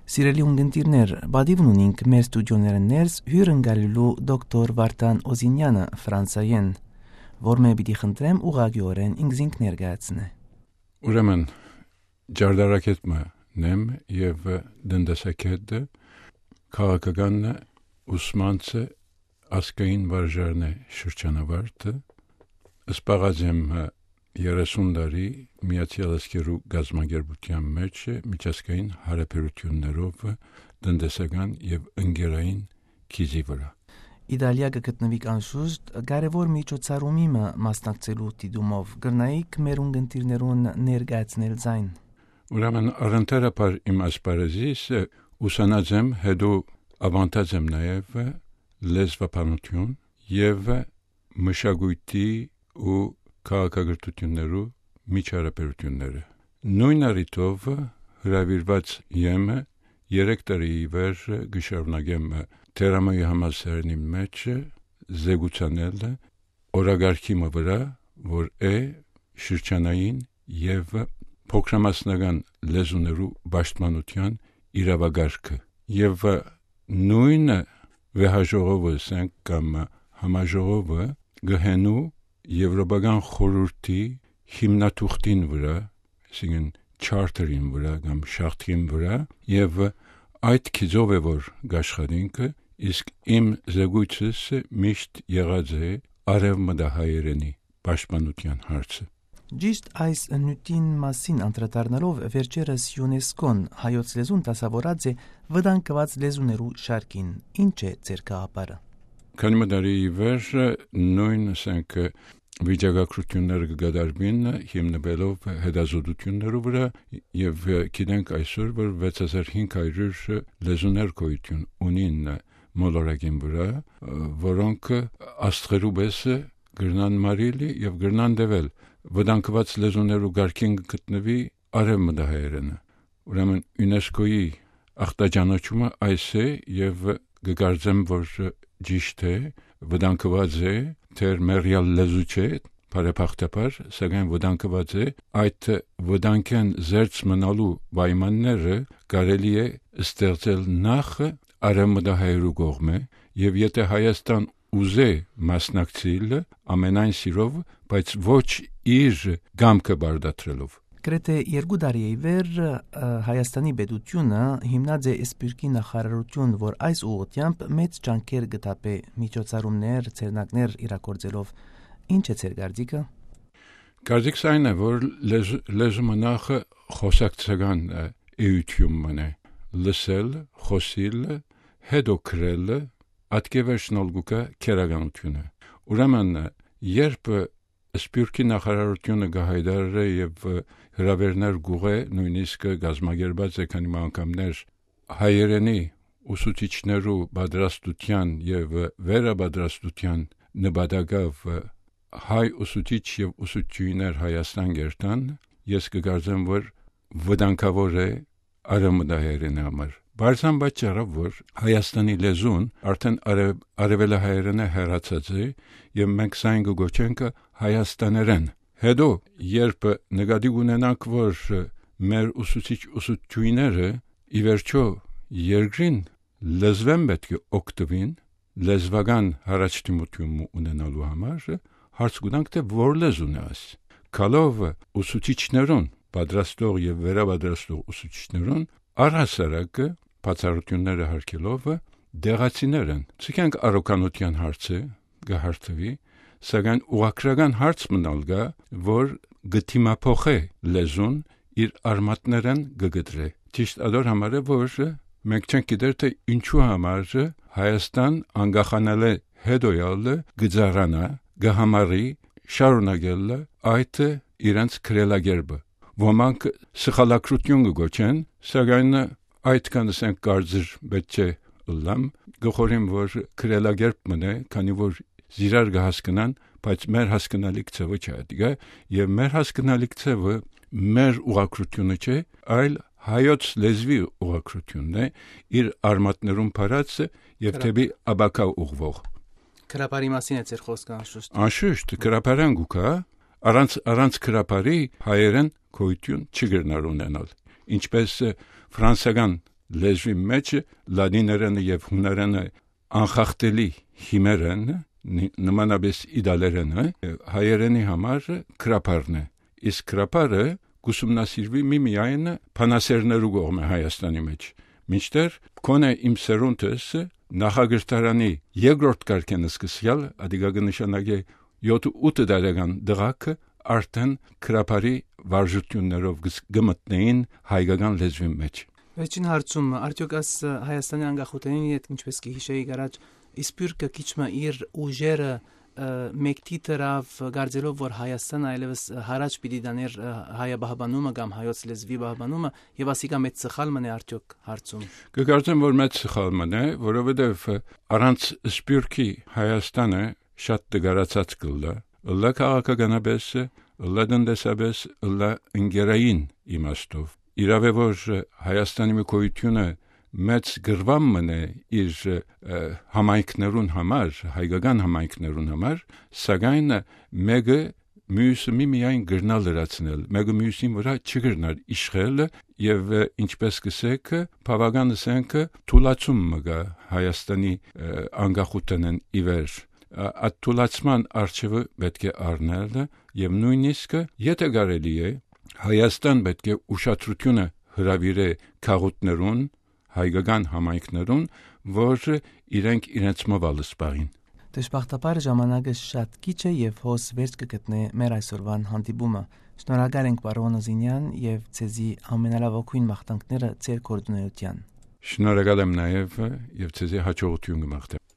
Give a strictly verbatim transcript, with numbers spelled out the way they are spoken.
Սիրելի ունգընտիրներ, պատիվն ունինք մեր ստուդիոներէն ներս հիւր ընկալելու դոկտոր Վարդան Օզինեանը Ֆրանսայէն, որ մէ պիտի խնդրեմ ուղղակիօրէն ինքզինք ներկայացնէ։ Ուրեմն, ջարդարակետ մը նեմ եւ տնտեսագետ, քաղաքական ուսմանցը ազգային վարժարն է շրջանավարտը, սպաղած եմ երեսուն տարի Միացյալ Ազգերու կազմակերպութեան մէջ միջազգային հարաբերութիւններով տնտեսական եւ ընկերային գիծի վրայ։ Իտալիա կը գտնուիք անշուշտ կարեւոր միջոցառումի մը մասնակցելու դիտումով, կրնայիք մեր ունգընտիրներուն ներկայացնել զայն։ Ուրեմն առընթերաբար իմ ասպարեզիս ուսանած եմ, հետո աւանդած եմ նաեւ լեզվաբանութիւն եւ մշակոյթի ու քաղաքակրթութիւններու միջհարաբերութիւնները։ Նոյն առիթով հրաւիրուած եմ երեք տարի ի վեր կը շարունակեմ Թերամոյի համալսարանին մէջ զեկուցանել օրակարգի մը վրայ, որ է շրջանային եւ փոքրամասնական լեզուներու պաշտպանութեան իրաւակարգը։ Եւ նոյն վեհաժողովը, ասենք, կամ համաժողովը կը հենու Եվրոպական խորհուրդի հիմնաթուղթին վրայ, այսինքն չարթերին վրայ կամ շաղթին վրայ, եւ այդ գիծով է որ կաշխատինք, իսկ իմ զեկույցս միշտ եղած է արեւմտահայերենի պաշտպանութեան հարցը։ Ճիշտ այս նիւթին մասին անդրադառնալով, վերջերս ЮՆԵՍԿՕ-ն հայոց լեզուն դասաւորած է վտանգուած լեզուներու շարքին։ Ի՞նչ է ձեր գաղափարը։ Քանի մը տարի ի վեր նոյն, ասենք, վիճակագրութիւնները կը կատարուին հիմնուելով հետազոտութիւններու վրայ, եւ գիտենք այսօր, որ վեց հազար հինգ հարիւր լեզուներ գոյութիւն ունին մոլորակին վրայ, որոնք աստղերու պէս կրնան մարիլ եւ կրնան տեւել։ Վտանգուած լեզուներու կարգին կը գտնուի արեւմտահայերէնը։ Ուրեմն ЮՆԵՍԿՕ-ի ախտաճանաչումը այս է, եւ կը կարծեմ, որ ճիշտ է, վտանգուած է, թէ մեռեալ լեզու չէ, բարեբախտաբար, սակայն վտանգուած է, այդ վտանգէն զերծ մնալու պայմանները կարելի է ստեղծել նախ արեւմտահայերու կողմէ, եւ եթէ Հայաստան ուզէ մասնակցիլ, ամենայն սիրով, բայց ոչ իր կամքը պարտադրելով։ Գրեթէ երկու տարի ի վեր, ը, Հայաստանի պետութիւնը հիմնած է սփիւռքի նախարարութիւն, որ այս ուղղութեամբ մեծ ջանքեր կը թափէ, միջոցառումներ, ձեռնարկներ իրագործելով։ Ի՞նչ է ձեր կարծիքը։ Կարծիքս այն է, որ լեզ-, լեզումը նախ խօսակցական, ը, էութիւն մըն է, լսել, խօսիլ, հետո գրել, ատկեվերջնալ գուկա քերականութիւնը։ Ուրեմն, երբ սփիւռքի նախարարութիւնը կը հայտարարէ եւ հրաւերներ կուղղէ, նոյնիսկ կազմակերպած է քանի մը անգամներ հայերէնի ուսուցիչներու պատրաստութեան եւ վերապատրաստութեան նպատակով հայ ուսուցիչ եւ ուսուցչուհիներ Հայաստան կերթան, ես կը կարծեմ, որ վտանգաւոր է արեւմտահայերէնի համար։ Բարձան պատճառով, որ Հայաստանի լեզուն արդեն արեւ-, արեւելահայերէնէ հեռացած է, եւ մենք սայն կը գոչենք հայաստաներեն։ Հետո, երբ նկատի ունենանք, որ մեր ուսուցիչ ուսուցչուհիները ի վերջո երկրին լեզուէն պէտք է օգտուին, լեզուական հառաջդիմութիւն մը ունենալու համար, հարց կու տանք, թէ որ լեզուն է այս։ Գալով ուսուցիչներուն, պատրաստող եւ վերապատրաստող ուսուցիչներուն, առհասարակ բացառութիւնները յարգելով, տեղացիներ են։ Չգիտենք, առողջանության հարցը կը հարթուի, սակայն ուղղագրական հարց մնալ կայ, որ կը դիմափոխէ լեզուն, իր արմատներէն կը կտրէ։ Ճիշտ ադոր համար է, որ մենք չենք գիտեր, թէ ինչու համար Հայաստան անկախանալէ հետոյալ կը ծառանայ, կը համարի շարունակել այդ իրենց քրելակերպը։ Ոմանք սխալագրութիւն կը գոչեն, սակայն այդքան, ասենք, կարծր պէտք չէ ըլլամ, կը խորհեմ, որ քրելակերպ մնայ, քանի որ զիրար կը հասկնան, բայց մեր հասկնալիք ձեւը չէ ատիկա, եւ մեր հասկնալիք ձեւը մեր ուղղագրութիւնը չէ, այլ հայոց լեզուի ուղղագրութիւնն է, իր արմատներուն փարած եւ Կրա- դեպի ապագայ ուղղվող։ Գրաբարի մասին է ձեր խոսքը, անշուշտ։ Անշուշտ, գրաբարան գուկա, առանց, առանց գրաբարի հայերեն գոյութիւն չի կրնար ունենալ։ Ինչպես, ը, ֆրանսական Լեզուի մէջ լատիներէնը եւ յունարէնը անխախտելի հիմեր են, նի-, նմանապէս իտալերէնը, հայերէնի համար գրաբարն է։ Իսկ գրաբարը կ'ուսումնասիրուի միմիայն բանասէրներու կողմէ Հայաստանի մէջ, մինչդեռ գոնէ իմ սերունդս նախակրթարանի երկրորդ կարգէն սկսեալ, ադիկա կը նշանակէ յոթ ութ տարեկան տղաքը արդեն գրաբարի վարժութիւններով կը ս-, կը մտնէին հայկական լեզուին մէջ։ Վերջին հարցում, արդեօք աս Հայաստանի անկախութենին յետ, ինչպէս կը յիշէիք առաջ, Սփիւռքը քիչ մը իր ուժերը, ը, մեկդի դրաւ, կարծելով որ Հայաստանը այլեւս յառաջ պիտի տանէր, ը, հայապահպանումը կամ հայոց լեզուի պահպանումը, եւ ասիկա մեծ սխալ մըն է արդեօք հարցում։ Կը կարծեմ որ մեծ սխալ մըն է, որովհետեւ, ը, առանց Սփիւռքի Հայաստանը շատ տկարացած կ'ըլլայ, ըլլայ քաղաքականապէս, ըլլայ տնտեսապէս, ըլլայ ընկերային իմաստով։ Իրաւ է որ, ը, Հայաստանի մի գոյութիւնը մեծ գրուան մըն է իր, ը, համայնքներուն համար, հայկական համայնքներուն համար, սակայն մէկը միւսը միմիայն կրնար լրացնել, մէկը միւսին վրայ չկրնար իշխել եւ, ը, ինչպէս կ'ըսէք, բաւական ըսենք, թուլացում մը կայ Հայաստանի, ը, անկախութենէն ի վեր։ Ա-, այդ թուլացման առջեւը պէտք է առնել եւ նոյնիսկ, եթէ կարելի է, Հայաստան պէտք է ուշադրութիւնը հրաւիրէ քաղաքներուն, հայկական համայնքներուն, որ իրենք իրենց մը վալս պահին։ Դժբախտաբար ժամանակը շատ քիչ է եւ հոս վերջ կը գտնէ մեր այսօրվան հանդիպումը։ Շնորհակալ ենք պարոն Օզինյան եւ ձեզի ամենալաւագոյն մաղթանքները ձեր գործունեության։ Շնորհակալ եմ նաեւ եւ ձեզի հաջողութիւն կը մաղթեմ։